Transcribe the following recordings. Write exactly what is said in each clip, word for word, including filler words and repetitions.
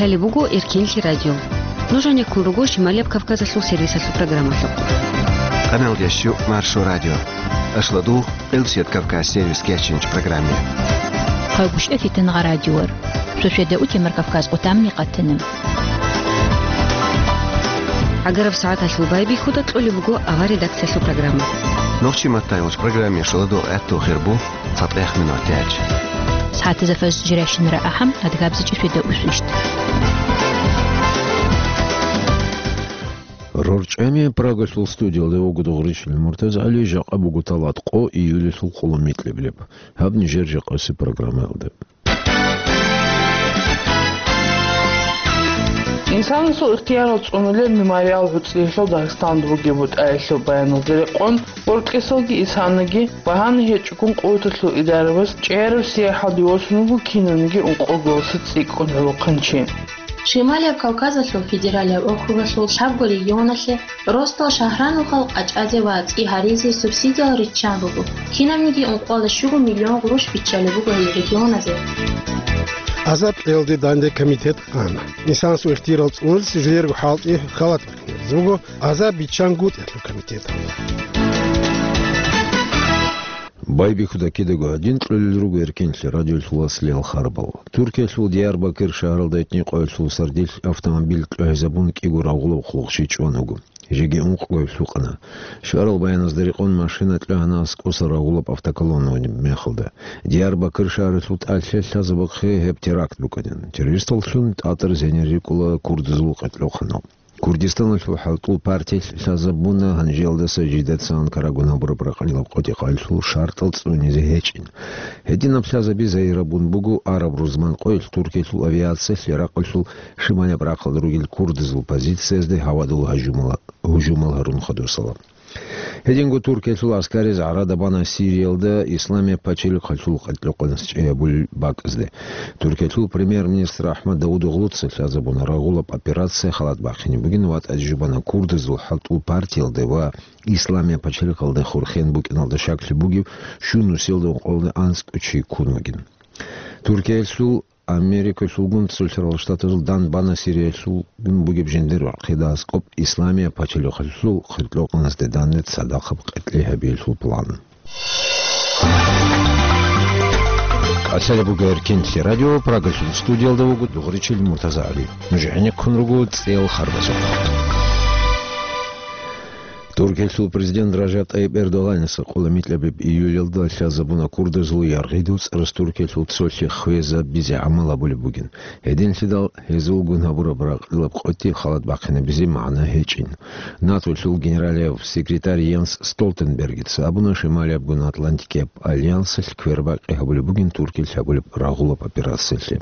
Гьале буго Эркенлъи радио. Нуж гӀенеккун руго Шималияб Кавказалъул сервисалъул программалъухъ. Къаналдящу Маршо радио. Ашладу Элсият Кавказ сервис кечинч программе. Хъагушев Фитангъа радиор. Сосведа утемар Кавказ къутамни къатана. ГӀагараб сагӀаталъул байбихьуда кьолеб буго авар редакциялъул программа. Нохчи маттайулч программе шаладу гӀатту хирбу. Фатех минутач. СагӀатазда фаз жиращинара ахӀам, адгабзичӀи светаусвищ. РорчӀами Прагалъул студиялда вуго Дугъричил МуртазагӀали, жакъа буго талат къо июльалъул къоло микьиблеб. Гьаб нижер жакъаси программаялда. Инсанасул ихтиярал цӀунулел мемориал гӀуцӀиялъул Дагъистанда бугеб бутӀаялъул баяналда рекъон, гъоркьесалги исанаги багьана гьечӀогун къуваталъул идарабаз чӀеяраб сияхӀалде восун вуго кинабниги ункъоголоса цӀикӀкӀун гӀолохъанчи. Шималияб Кавказалъул федералияб округалъул лъабго регионалъе росдал шагьранухъал къачӀазе ва цӀи гьаризе субсидиял риччан руго, кинабниги ункъоялда щуго миллион гъурущ биччалеб буго гьел регионазе. Азаб кьелде данде комитет ана. Инсанасул ихтиярал цӀунулел жидерго хӀалтӀи халат бихьизе буго азаб биччан гутӀиялъул комитеталда. Байбихьуда кидаго гьадин кьолел руго Эркенлъи радиолъул аслиял харбал. Туркиялъул Диярбакир шагьаралда этникъоялъул сардилъ автомобиль кьогьезабун кӀиго рагъулаб хъулухъчи чӀван вуго. Жеги ункъго гьеб лъукъана. Шварал баяназда рекъон машина кьогьана аскӀоса рагъулаб автоколонна ваниб мехалда. Диярбакир шагьаралъул тӀалъи лъазабухъе гьеб теракт букӀанин. Террористаллъун тӀатӀар зенир рикӀкӀула курдазул къеркьохъанал. Курдистаналъул хӀалтӀул партиялъ лъазабуна гьанжеялдаса жидеца Анкарагун гьабураб ракъалилаб къотӀи-къалъул шартӀал цӀунизе гьечӀин. Гьединаб лъазаби загьирабун буго араб рузман къоялъ Туркиялъул авиациялъ Иракъалъул шималияб рахъалда ругел курдазул позициязде гьавадул гьажумала-, гьужумал гьарун хадусала. Гьединго Туркиялъул гӀаскариз гӀарада бана Сириялда Исламияб пачалихъалъул къеркьохъанас чӀей гьабулел бакӀазде. Туркиялъул премьер-министр АхӀмад Давудоглуца лъазабуна рагъулаб операция халат бахъине бугин ва тӀаде жубана курдазул хӀалтӀул партиялда ва Исламияб пачалихъалда хурхен букӀиналда щаклъи бугев щун нусиялда ункъоялда анцӀго чи ккун вугин. Туркиялъул Америкалъулгун ЦӀусарал Штатазул дан бана Сириялъулгун бугеб жиндир вахъида аскӀоб Исламияб пачалихъалъул къеркьохъанасде данде цадахъаб къеркьей гьабиялъул план. КӀалъалеб буго Эркенлъи радио, Прагалъул студиялда вуго Дугъричил МуртазагӀали. Нуж гӀенеккун руго цӀеял харбазухъ. Туркиялъул президент Ражаб ТӀайиб Эрдоганаца къулумикьабиб июльалда лъазабуна курдазул яргъидул цӀарас Туркиялъул цолъи хвезабизе гӀамал гьабулеб бугин. Гьединлъидал гьезулгун гьабураб ракъалилаб къотӀи халат бахъинабизе магӀна гьечӀин. НАТОлъул генералияб секретарь Йенс Столтенбергица абуна Шималиябгун Атлантикияб альянсалъ квербакъи гьабулеб бугин Туркиялъ гьабулеб рагъулаб операциялъе.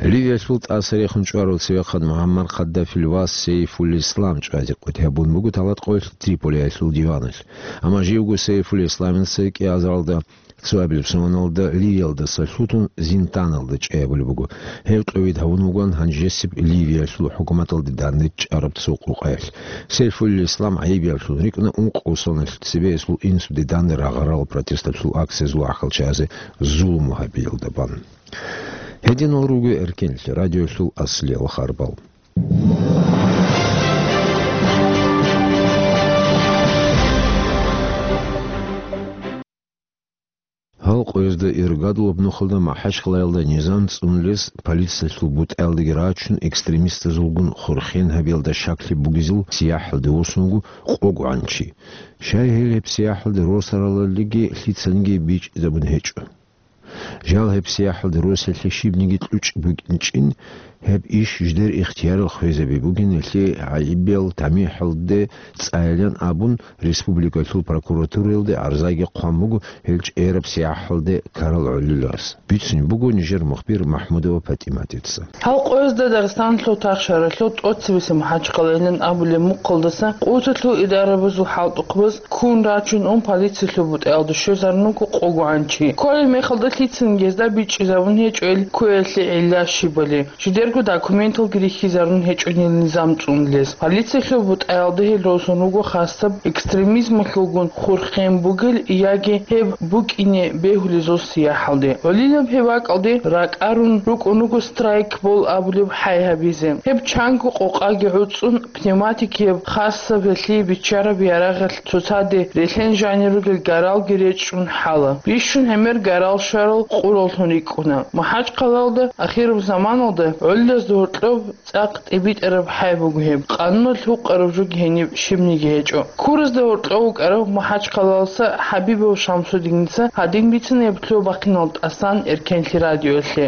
Ливиялъул тӀаса рехун чӀварав цевехъан МугӀаммар Каддафил вас Сейфулислам чӀвазе къотӀи гьабун буго талат къоялъ Триполиялъул диваналъ. Амма живго Сейфулисламица кӀиазаралда цоабилеб соналда Ливиялдаса лъутун Зинтаналда чӀей гьабулеб буго. Гьев кьовид гьавун вугоан гьанжесеб Ливиялъул хӀукуматалде данде чӀараб цо къукъаялъ. Сейфулислам гӀайибиялъун рикӀкӀуна ункъго соналъ цебе гьесул инсуде данде рагъарал протесталъул акциязул ахӀалчиязе зулму гьабиялда бан. Гьединал руго Эркенлъи радиолъул аслиял харбал. Гьал къоязда иргадулаб нухалда МахӀачхъалаялда низам цӀунулес полициялъул бутӀаялдаги рачун экстремистазулгун хурхен гьабиялда щаклъи бугезул сияхӀалде восун вуго къогогӀан чи. Щай гьел гьеб сияхӀалде росаралалиги лъицаниги бичӀчӀизабун гьечӀо. Жал гьеб сияхӀалде росиялъе щибниги кьучӀ букӀинчӀин, гьеб иш жидер ихтиярал хвезаби бугин, гьелъие гӀайибиял тамихӀалде цӀаян абун, республикалъул прокуратураялде гӀарзаги хъван буго гьел чӀераб сияхӀалде ккарал гӀолилас. Бицунеб буго нижер мухбир МахӀмудова ПатӀиматица. Гьал къоязда Дагъистаналъул тахшаралъул тӀоцебесеб МахӀачхъалайилан абулеб мухъалдаса къуваталъул идарабазул хӀалтӀухъбаз ккун рачун ун полициялъул бутӀаялда щвезарун вуго къогогӀан чи. Кколеб мехалда лъицаниги гьезда бичӀчӀизабун гьечӀо гьел кквеялъе гӀилла щибали. Жидерго документалги рихьизарун гьечӀо гьел низам цӀунулес. Полициялъул бутӀаялда гьел росун руго хасаб экстремизмалъулгун хурхен бугел яги гьеб букӀине бегьулезул сияхӀалде. Гьолилаб гьеб бакӀалде ракӀарун рукӀун руго страйкбол абулеб хӀай гьабизе. Гьеб чанго къокъаги гӀуцӀун, пневматикияб хасаб гьелъие биччараб ярагъалъ цоцаде релъен жанир ругел гаралги речӀчӀун хӀала. Бищун гӀемер гарал щварал къураллъун рикӀкӀуна. МахӀачхъалалда ахираб заманалда гӀоллазда гьоркьоб цӀакъ тӀибитӀараб хӀай буго гьеб, къануналъ гьукъараб жоги гьениб щибниги гьечӀо. Ккуразда гьоркьов вукӀарав МахӀачхъалалса ХӀабибов Шамсудиница гьадин бицина гьеб лъугьа-бахъинал тӀасан Эркенлъи радиоялъе.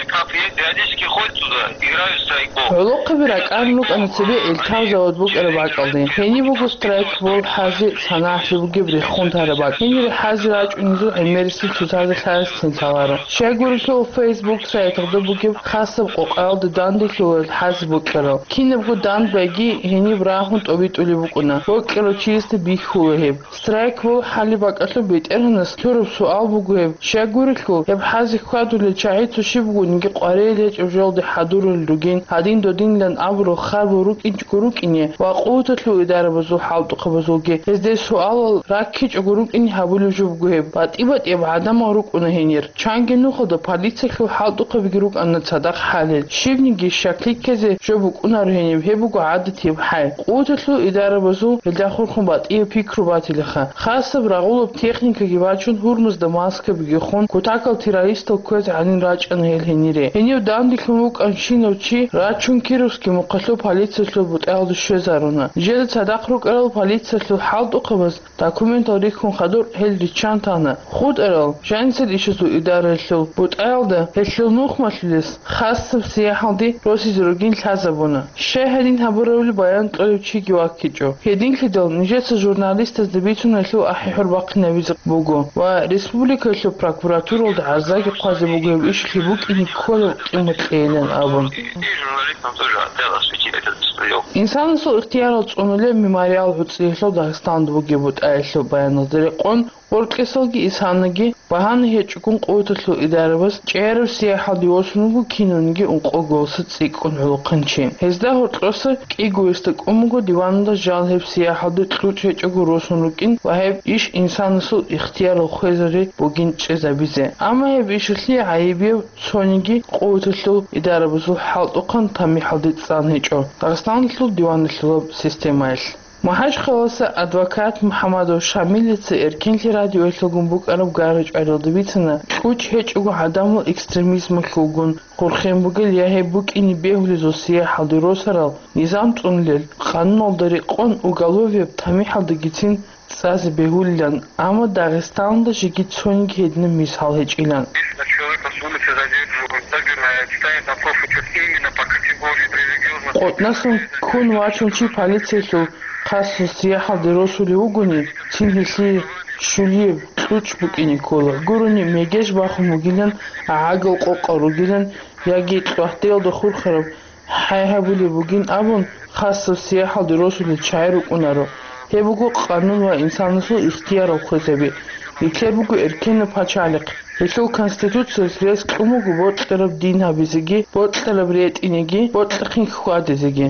Эльтаф периодически ходит сюда, играют в страйкбол. ГӀолохъаби ракӀарун рукӀана цебе Эльтаф завод букӀараб бакӀалде. Гьениб буго страйкбол хӀази санагӀалъи бугеб рехун тараб бакӀ. Гьенир хӀази рачӀунезул гӀемерисел цоцазда лъазесин лъаларо. Щайгурелъул, Facebook сайталда бугеб хасаб къокъаялда данделъулел хӀази бокьарал. Кинабго дандбайги гьениб рагьун тӀобитӀулеб букӀуна. Бокьарав чиясда бихьула гьеб. Страйкбол хӀалеб бакӀалъуб БетӀергьанас лъураб суал буго гьеб. Щайгурелъул, гьеб хӀази хьвадулел чагӀи цо щиб бугониги къваригӀел гьечӀеб жоялде хӀадурулел ругин, гьадин-додинилан абурал харбал рукӀинчӀого рукӀине ва къуваталъул идарабазул хӀалтӀухъабазулги гьезде суалал раккичӀого рукӀине гьабулеб жо буго гьеб. БатӀи-батӀияб гӀадамал рукӀуна гьенир. Чанги нухалда полициялъул хӀалтӀухъабиги рукӀана цадахъ хӀалел. Щибниги щаклъи ккезе жо букӀунаро гьениб, гьеб буго гӀадатияб хӀай. Къуваталъул идарабазул гьелда хурхун батӀияб пикру батилаха. Хасаб рагъулаб техникаги бачун, гьурмазда маскабиги хун, кутакал террористал кквезе гӀанин рачӀана гьел гьенире. Гьенив данделъун вукӀанщинав чи рачун Кировский мухъалъул полициялъул бутӀаялде щвезаруна. Нижеда цадахъ рукӀарал полициялъул хӀалтӀухъабаз документал рихьун хадур гьел риччан тана. ХутӀарал жанисел ишазул идараялъул бутӀаялда гьелъул нухмалъулес хасаб сияхӀалде росизе ругин лъазабуна. Щай гьадин гьабурабали баян кьолев чиги ваккичӀо. Гьединлъидал нижеца журналистазда бицун гьелъул ахӀи-хӀур бахъинабизе буго ва республикаялъул прокуратуралда гӀарзаги хъвазе буго гьеб иш лъим букӀине кколеб къимат кьейилан абун. Журналистам тоже хотел осветить этот стрелок. Инсанасул ихтиярал цӀунулеб мемориал гӀуцӀиялъул Дагъистанда бугеб бутӀаялъул баяналда рекъон, Гъоркьесалги Исанаги багьана гьечӀогун къуваталъул идарабаз чӀеяраб сияхӀалде восун вуго кинавниги ункъо голоса цӀикӀкӀун гӀолохъанчи. Гьезда гьоркьоса кӀиго гьесда кӀун буго диваналда жал гьеб сияхӀалде кьучӀ гьечӀого росун рукӀин ва гьеб иш инсанасул ихтиярал хвезари бугин чӀезабизе. Амма гьеб ишалъе гӀайибияб цониги къуваталъул идарабазул хӀалтӀухъан тамихӀалде цӀан гьечӀо Дагъистаналъул диваналъулаб системаялъ. МахӀачхъаласа адвокат МухӀамадов Шамилица Эркенлъи радиоялъулгун букӀараб гара-чӀваралда бицана, кьучӀ гьечӀого гӀадамал экстремизмалъулгун хурхен бугел я гьеб букӀине бегьулезул сияхӀалде росарал низам цӀунулел, къануналда рекъон уголовияб тамихӀалдагицин цӀазе бегьулилан, амма Дагъистаналда жеги цониги гьединаб мисал гьечӀилан. Если человека с улицы задерживают, задерживают, ставят на профучет именно по категории религиозных... КъотӀнасан ккун вачун чи полициялъул хасго сияхӀалде росулев вугони, цин гьелъие щулияб кьучӀ букӀине ккола. Гурони мегеж бахун бугилан, гӀагал къокъал ругилан яги кьвагьделда хурхараб хӀай гьабулеб бугин абун, хасаб сияхӀалде росулел чагӀи рукӀунаро. Гьеб буго къанун ва инсанасул ихтиярал хвезаби. Нилъер буго эркенаб пачалихъ. Гьелъул Конституциялъ рес кьун буго бокьараб дин гьабизеги, бокьараб ретӀинеги, бокьахъин хьвадизеги.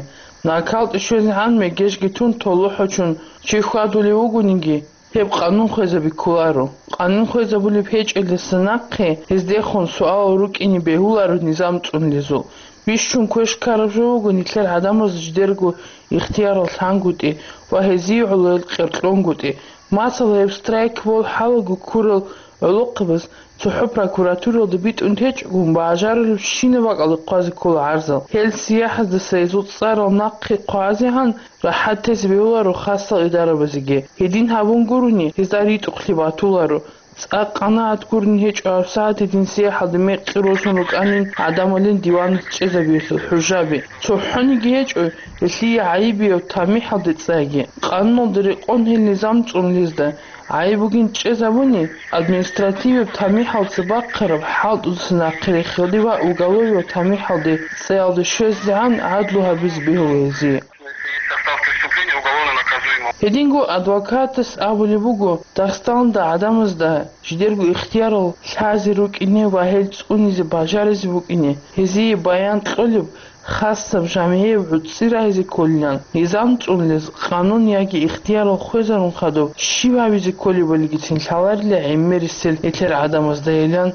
НакӀкӀалде щвезегӀан мегежги тун толохӀочун чи хьвадулев вугониги, гьеб къанун хвезаби кколаро. Къанун хвезабулеб гьечӀелдаса нахъе гьездехун суалал рукӀине бегьуларо низам цӀунулезул. Бищун квеш ккараб жо буго нилъер гӀадамаз жидерго ихтиярал лъангутӀи ва гьезие гӀолоял кьеркьонгутӀи. Масала, гьеб страйкбол хӀалаго ккурал гӀолохъабаз цохӀо прокуратуралда битӀун течӀогун, бажарулебщинаб бакӀалда хъвазе ккола гӀарзал. Гьел сияхӀаздаса гьезул цӀарал нахъе хъвазегӀан рахӀат тезе бегьуларо хасал идарабазеги. Гьедин гьабун гурони, гьезда ритӀухълъи батуларо. ЦӀакъ къанагӀат гурони гьечӀо гьабсагӀат гьедин сияхӀалде мекъи росун рукӀанин гӀадамалин диваналъ чӀезабиялъул хӀужаби. ЦохӀониги гьечӀо гьелъие гӀайибияб тамихӀалде цӀайги. Къануналда рекъон гьел низам цӀунулезда гӀайиб бугин чӀезабуни, административияб тамихӀалца бахъараб хӀалтӀудаса нахъе рехиялде ва уголовияб тамихӀалде цӀаялде щвезегӀан гӀадлу гьабизе бегьула гьезие. Если есть состав преступления, уголовно наказуемо. Гьединго адвокатас абулеб буго, Дагъистаналда гӀадамазда жидерго ихтиярал лъазе рукӀине ва гьел цӀунизе бажаризе букӀине, гьезие баян кьолеб хасаб жамгӀияб гӀуцӀи рагьизе кколилан, низам цӀунулез къанун яги ихтиярал хвезарун хадуб щиб гьабизе кколебалигицин лъаларила гӀемерисел нилъер гӀадамаздайилан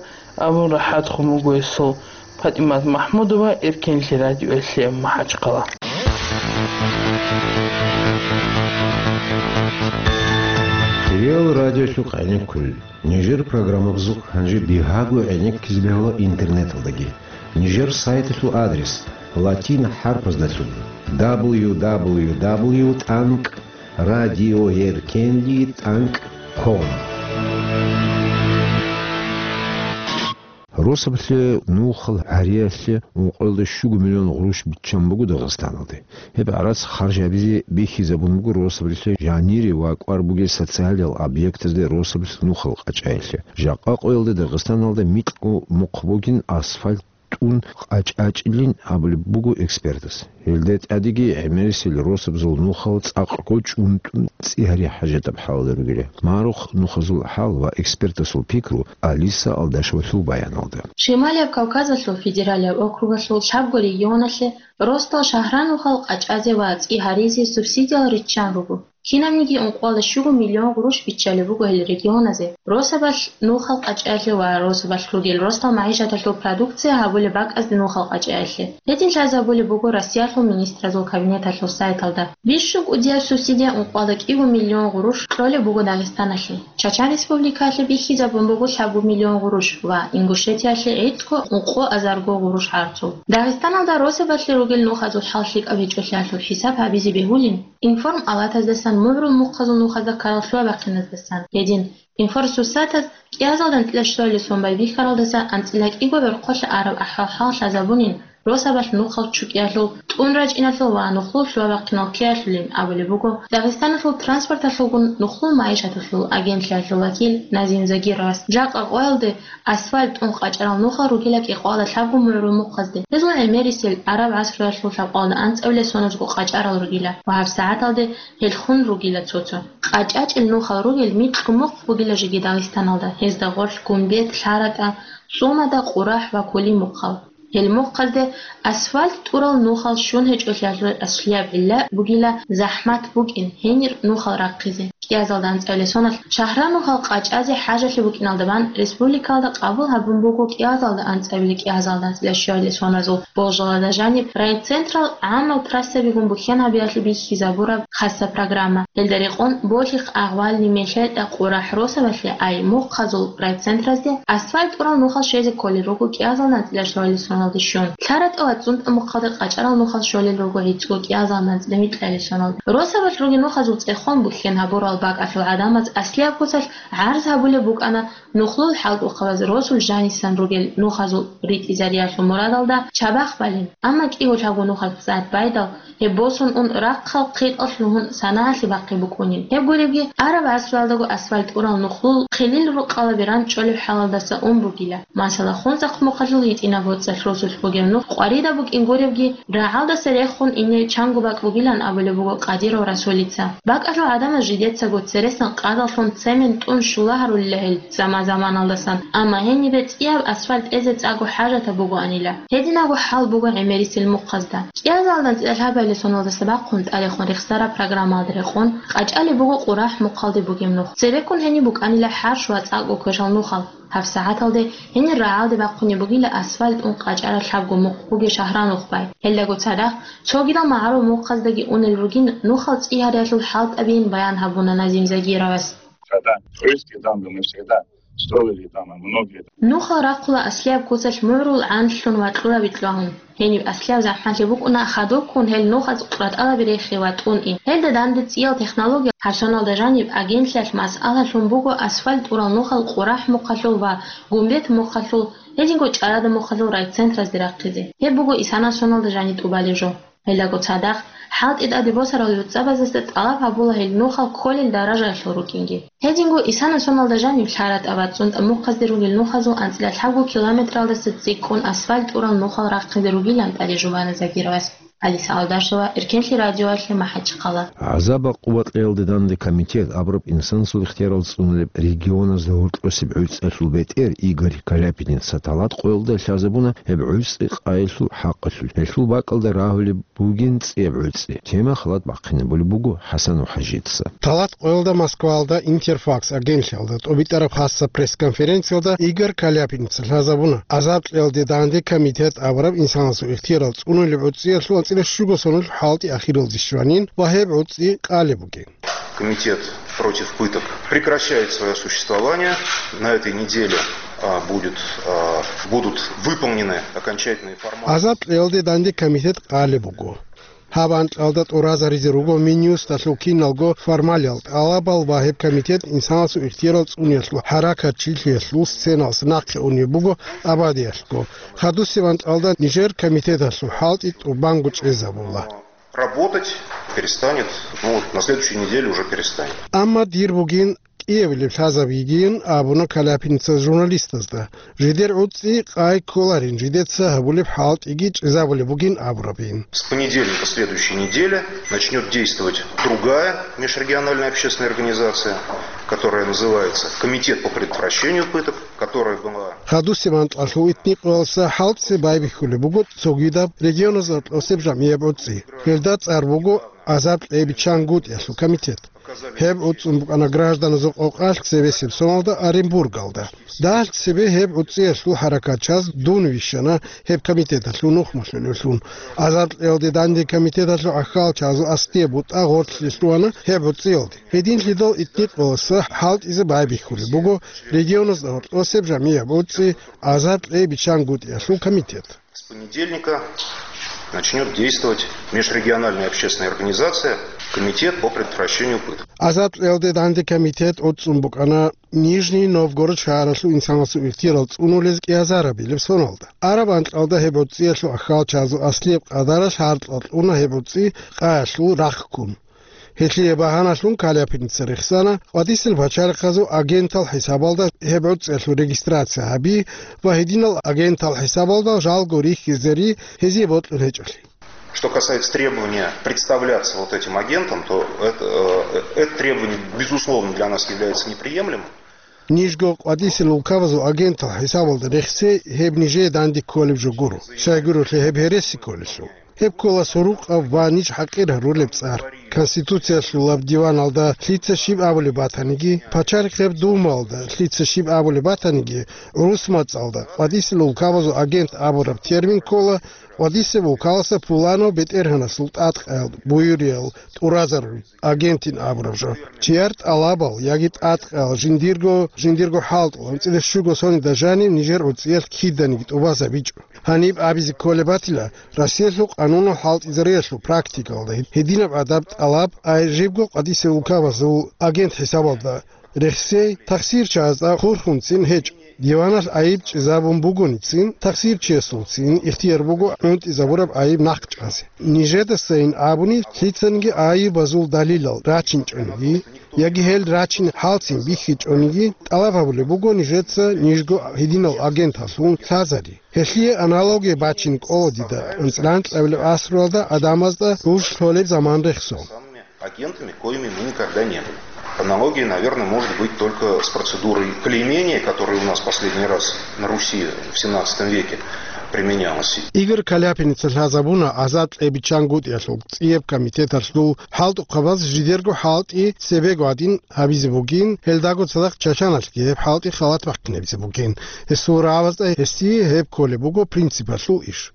абун рахӀатхун буго гьесул. ПатӀимат МахӀмудова, Эркенлъи радиоялъе, МахӀачхъала. Реал радиолъухъ гӀенеккулел. Нижер программабазухъ гьанже бигьаго гӀенеккизе бегьула интернеталдаги. Нижер сайталъул адрес латин хӀарпаздалъун: дабл ю дабл ю дабл ю тӀанкӀ радиоэркенлъи тӀанкӀ ком. Росабалъе нухал гьариялъе ункъоялда щуго миллион гъурущ биччан буго Дагъистаналде. Гьеб гӀарац харж гьабизе бихьизабун буго росабалъе жанире ва кӀвар бугел социалиял объектазде росабалъ нухал къачӀаялъе. Жакъа къоялда Дагъистаналда микьго мухъ бугин асфальт тӀун къачӀачӀилин абулеб буго экспертас. Гьелда тӀадеги гӀемерисел росабазул нухал цӀакъго чӀунтӀун цӀи гьари хӀажатаб хӀалалда ругила. Марухъ нухазул хӀал ва экспертасул пикру Алиса Алдашевалъул баяналда. Шималияб Кавказалъул федералияб округалъул лъабго регионалъе росдал шагьранухал къачӀазе ва цӀи гьаризе субсидиял риччан руго. Кинабниги ункъоялда щуго миллион гъурущ биччалеб буго гьел регионазе, росабалъ нухал къачӀаялъе ва росабалъ ругел росдал магӀишаталъул продукция гьабулеб бакӀазде нухал къачӀаялъе. Гьедин лъазабулеб буго Россиялъул министразул кабинеталъул сайталда. Бищун кӀудияб субсидия, ункъоялда кӀиго миллион гъурущ, кьолеб буго Дагъистаналъе. Чачан Республикаялъе бихьизабун буго лъабго миллион гъурущ ва Ингушетиялъе гӀицӀго ункъо азарго гъурущ гӀарцул. Дагъистаналда росабалъе ругел нухазул хӀал лъикӀаб гьечӀолъиялъул хӀисаб гьабизе бегьулин, Информ алатаздасан, мугӀрул мухъазул нухазда ккарал лъугьа-бахъиназдасан, гьедин Информ суссатаз кӀиазалда анцӀила щуялде сон байбихьаралдаса анцӀила кӀиго гӀорхъолъа араб ахӀвал-хӀал лъазабунин, росабалъ нухал чукӀиялъул, тӀун рачӀиналъул ва нухлул лъугьа-бахъинал ккеялъулин абулеб буго Дагъистаналъул транспорталъулгун нухлул магӀишаталъул агентлъиялъул вакил Назим Загировас. Жакъа къоялде асфальт тӀун къачӀарал нухал ругила кӀикъоялда лъабго мугӀрул мухъазде. Гьезул гӀемерисел гӀараб гӀасруялъул лъабкъоялда анцӀабилеб соналдасаго къачӀарал ругила ва гьабсагӀаталде гьел хун ругила цо-цо. КъачӀачӀел нухал ругел микьго мухъ бугила жеги Дагъистаналда, гьезда гъорлъ Гумбет, ЛъаратӀа, ЦӀумада, Къурахь ва Кули мухъал. Гьел мухъазде асфальт тӀурал нухал щун гьечӀолъиялъул аслияб гӀилла бугила захӀмат букӀин гьенир нухал рахъизе. КӀиазалда анцӀабилеб соналъ шагьранухал къачӀазе хӀажалъи букӀиналда бан республикаялда къабул гьабун буго кӀиазалда анцӀабилеб кӀиазалда анцӀила щуялде соназул болжалда жаниб райцентрал гӀамал трассабигун бухьен гьабиялъе бихьизабураб хасаб программа. Гьелда рекъон Болъихъ, Агъвални, МехетӀа, Къурахь росабалъе, ай мухъазул райцентразде асфальт тӀурал нухал щвезе кколел руго кӀиазалда анцӀила щуялде соналде щун. ЛъаратӀа ва ЦӀунтӀа мухъалде къачӀарал нухал щолел руго гӀицӀго кӀиазалда анцӀила микьабилеб соналде. Росабалъ ругел нухазул цӀехон бухьен гьабурал бакӀалъул гӀадамаз аслияб куцалъ гӀарз гьабулеб букӀана нухлул хӀалкӀухъабаз росул жанисан ругел нухазул ритӀизариялъул мурадалда чабахъ балин. Амма кӀиго лъабго нухалъ цӀад байдал, гьеб босун ун рахъал хъитӀалъ лугьун санагӀалъе бахъи букӀунин. Гьеб гуребги, араб гӀасруялдаго асфальт тӀурал нухлул хилил рукъалаби ранчӀолеб хӀалалдаса ун бугила. Масала, Хунзахъ мухъалъул гьитӀинаб боцӀалъ росулъ бугеб нух къваридаб букӀин гуребги, рагӀалдаса рехун ине чанго бакӀ бугилан абулеб буго Къадиров Расулица. БакӀалъул гӀадамаз жидецаго цересан къадалъун цемент тӀун щула гьарулила гьел заман-заманалдасан, амма гьенибе цӀияб асфальт тӀезе цӀакъго хӀажатаб бугоанила. Гьединабго хӀал буго гӀемерисел мухъазда. КӀиазалда анцӀила лъабабилеб соналдаса бахъун тӀадехун рехсараб программалда рекъон къачӀалеб буго Къурахь мухъалде бугеб нух. Цебеккун гьениб букӀанила хӀарщ ва цӀакъго квешал нухал. ГьабсагӀаталде гьенир рагӀалде бахъунеб бугила асфальт тӀун къачӀараб лъабго мухъ бугеб шагьранухъ бай. Гьелдаго цадахъ цогидал магӀарул мухъаздаги унел ругин нухал цӀи гьариялъул хӀалтӀабиин баян гьабуна Назим Загировас. Когда туристские данные мы всегда строили там, а многие. Нухал рахъула аслияб куцалъ мугӀрул гӀанлъун ва кьурабилъ вагьун. Гьениб аслияб захӀмалъи букӀуна хадубккун гьел нухаз къуратӀалаби рехи ва тӀун ин. Гьелда данде цӀиял технология, гьабсагӀаталда жаниб агентлъиялъ масъалалъун буго асфальт тӀурал нухал Къурахь мухъалъул ва Гумбет мухъалъул, гьединго ЧӀарада мухъалъул райцентразде рахъизе. Гьеб буго исана соналда жаниб тӀубалеб жо. Гьелдаго цадахъ, хӀалтӀи тӀаде босарал гӀурцӀабаздаса тӀалаб гьабула гьел нухал кколел даражаялъул рукӀинги. Гьединго исана соналда жаниб ЛъаратӀа ва ЦӀунтӀа мухъазде ругел нухазул анцӀила лъабго километралдаса цӀикӀкӀун асфальт тӀурал нухал рахъизе ругилан тӀаде жубана Загировас. Алиса Алдашева, Эркенлъи радиоялъе, МахӀачхъала. ГӀазаб-гӀакъуба кьеялде данде комитет абураб инсанасул ихтиярал цӀунулеб регионазда гьоркьосеб гӀуцӀиялъул бетӀер Игорь Каляпиница талат къоялда лъазабуна гьеб гӀуцӀи къайилъул хӀакъалъулъ. Гьелъул бакӀалда рагьулеб бугин цӀияб гӀуцӀи. Тема халат бахъинабулеб буго ХӀасанов ХӀажица. Талат къоялда Москваялда Интерфакс агентлъиялда тӀобитӀараб хасаб пресс-конференциялда Игорь Каляпиница лъазабуна, гӀазаб кьеялде данде комитет абураб инсанасул ихтиярал цӀунулеб гӀуцӀиялъул анцӀила щуго соналъул хӀалтӀи ахиралде щванин ва гьеб гӀуцӀи къалеб бугин. Комитет против пыток прекращает свое существование. На этой неделе, а, будет, а, будут выполнены окончательные формальности. ГӀазаб кьеялде данде комитет къалеб буго. Гьаб анкьалда тӀуразаризе руго Минюсталъул киналго формалиял тӀалабал ва гьеб комитет инсанасул ихтиярал цӀуниялъул хӀаракатчилъиялъул сценалъ нахъе унеб буго абадиялъго. Хадусеб анкьалда нижер комитеталъул хӀалтӀи тӀубанго чӀезабула. Работать перестанет, ну, на следующей неделе уже перестанет. Амма дир бугин кӀиабилеб лъазаб йигин абуна Каляпиница журналистазда. Жидер гӀуцӀи къай кколарин, жидеца гьабулеб хӀалтӀиги чӀезабулеб бугин абурабин. С понедельника следующей недели начнёт действовать другая межрегиональная общественная организация, которая называется Комитет по предотвращению пыток, которая была... Хадусеб анкьалъул итникъоялса хӀалтӀизе байбихьулеб буго цогидаб регионазда тӀосеб жамгӀияб гӀуцӀи. Гьелда цӀар буго гӀазаб кьей биччан гутӀиялъул комитет. Гьеб гӀуцӀун букӀана гражданазул къокъалъ цебесеб соналда Оренбургалда. Дагьалъ цебе гьеб гӀуцӀиялъул хӀаракатчияз дун вищана гьеб комитеталъул нухмалъулевлъун. ГӀазаб кьеялде данде комитеталъул ахьалчазул аслияб бутӀа гъорлъе лъугьана гьеб гӀуцӀиялде. Гьединлъидал итникъоялса хӀалтӀизе байбихьулеб буго регионазда гьоркьосеб жамгӀияб гӀуцӀи гӀазаб кьей биччан гутӀиялъул комитет. С понедельника начнёт действовать межрегиональная общественная организация Комитет по предотвращению пыток. ГӀазаб кьеялде данде комитет гӀуцӀун букӀана Нижний Новгород шагьаралъул инсанасул ихтиярал цӀунулез кӀиазарабилеб соналда. Араб анкьалда гьеб гӀуцӀиялъул ахьалчазул аслияб къадаралъ гьаркьал кьуна гьеб гӀуцӀи къаялъул рахъ ккун. Гьелъие багьаналъун Каляпиница рехсана къватӀисел пачалихъазул агентал хӀисабалда гьеб гӀуцӀиялъул регистрация гьаби ва гьединал агентал хӀисабалда жалго рихьизе ри гьезие бокьун гьечӀолъи. Что касается требования представляться вот этим агентом, то это, э, это требование, безусловно, для нас является неприемлемым. Нижго къватӀисел улкабазул агентал хӀисабалда рехсей гьеб нижее данде кколеб жо гуро, щайгурелъул гьеб гьереси кколелъул. Гьеб ккола сурукъаб ва ниж хӀакъир гьарулеб цӀар. Конституциялъулаб диваналда лъица щиб абулеб батаниги, пачалихъеб Думаялда лъица щиб абулеб батаниги, гӀурус мацӀалда къватӀисел улкабазул агент абураб термин ккола къватӀисеб улкаласа пуланав бетӀергьанасул тӀадкъаял буюриял тӀуразарулел агентин абураб жо. Чияр тӀалабал яги тӀадкъаял жиндирго, жиндирго хӀалтӀул анцӀила щуго соналда жанив нижер гӀуцӀиялъ киданиги тӀубазабичӀо. Гьаниб абизе кколеб батила, Россиялъул къанунал хӀалтӀизариялъул практикалда гьединаб гӀадаб тӀалаб ай жибго къватӀисел улкабазул агент хӀисабалда рехсей тахсирчагӀазда хурхунцин гьечӀо. Диваналъ айиб чӀезабун бугоницин, тахсирчиясулцин ихтияр буго гӀунтӀизабураб айиб нахъ чӀазе. Нижедасайин абуни, лъицаниги айибазул далилал рачинчӀониги, яги гьел рачин хӀалцин бихьичӀониги, тӀалаб гьабулеб буго нижеца нижго гьединал агенталъун лъазари. Гьелъие аналогия бачин кӀола дида анцӀила анкьабилеб асралда гӀадамазда гуж лъолеб заман рехсон. Агентами, коими мы никогда не были. Аналогия, наверное, может быть только с процедурой клеймения, которая у нас последний раз на Руси в семнадцатом веке применялась. Игорь Каляпиница лъазабуна гӀазаб кьей биччан гутӀиялъул цӀияб комитеталъул хӀалтӀухъабаз жидерго хӀалтӀи цебего гьадин гьабизе бугин, гьелдаго цадахъ Чачаналъги гьеб хӀалтӀи халат бахъинабизе бугин. Гьесул рагӀабазда гьесие гьеб кколеб буго принципалъул иш.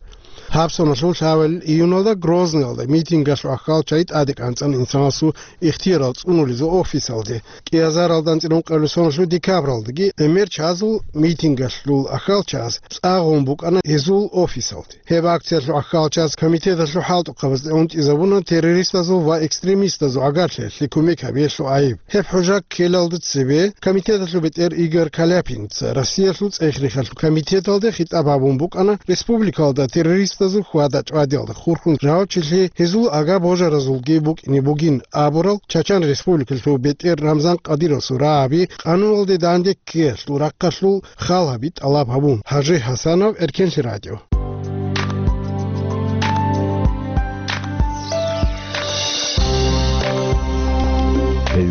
Гьаб соналъул лъабабилеб июналда Грозныйалда митингалъул ахьалчагӀи тӀаде кӀанцӀана инсанасул ихтиярал цӀунулезул офисалде. КӀиазаралда анцӀила ункъабилеб соналъул декабралдаги гӀемер чазул митингалъул ахьалчагӀаз цӀа гъун букӀана гьезул офисалде. Гьеб акциялъул ахьалчагӀаз комитеталъул хӀалтӀухъабазда унтӀизабуна террористазул ва экстремистазул гӀагарлъиялъе кумек гьабиялъул гӀайиб. Гьеб хӀужа ккелалда цебе комитеталъул бетӀер Игорь Каляпиница Россиялъул ЦӀехрихьалъул комитеталде хитӀаб гьабун букӀана республикалда террористазул хьвада-чӀвадиялда хурхун жавабчилъи гьезул агар-божаразулги букӀине бугин абурал Чачан Республикалъул бетӀер Рамзан Кадыровасул рагӀаби къануналде данде ккеялъул рахъалъул хал гьаби тӀалаб гьабун. ХӀажи ХӀасанов, Эркенлъи радио.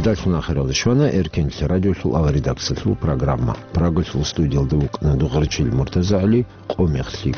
Алхун ахиралда щвана Эркенлъи радиолъул аваридаксалъул программа. Прагалъул студиялда вукӀана Дугъарчил МуртазагӀли, Къо мехлъи.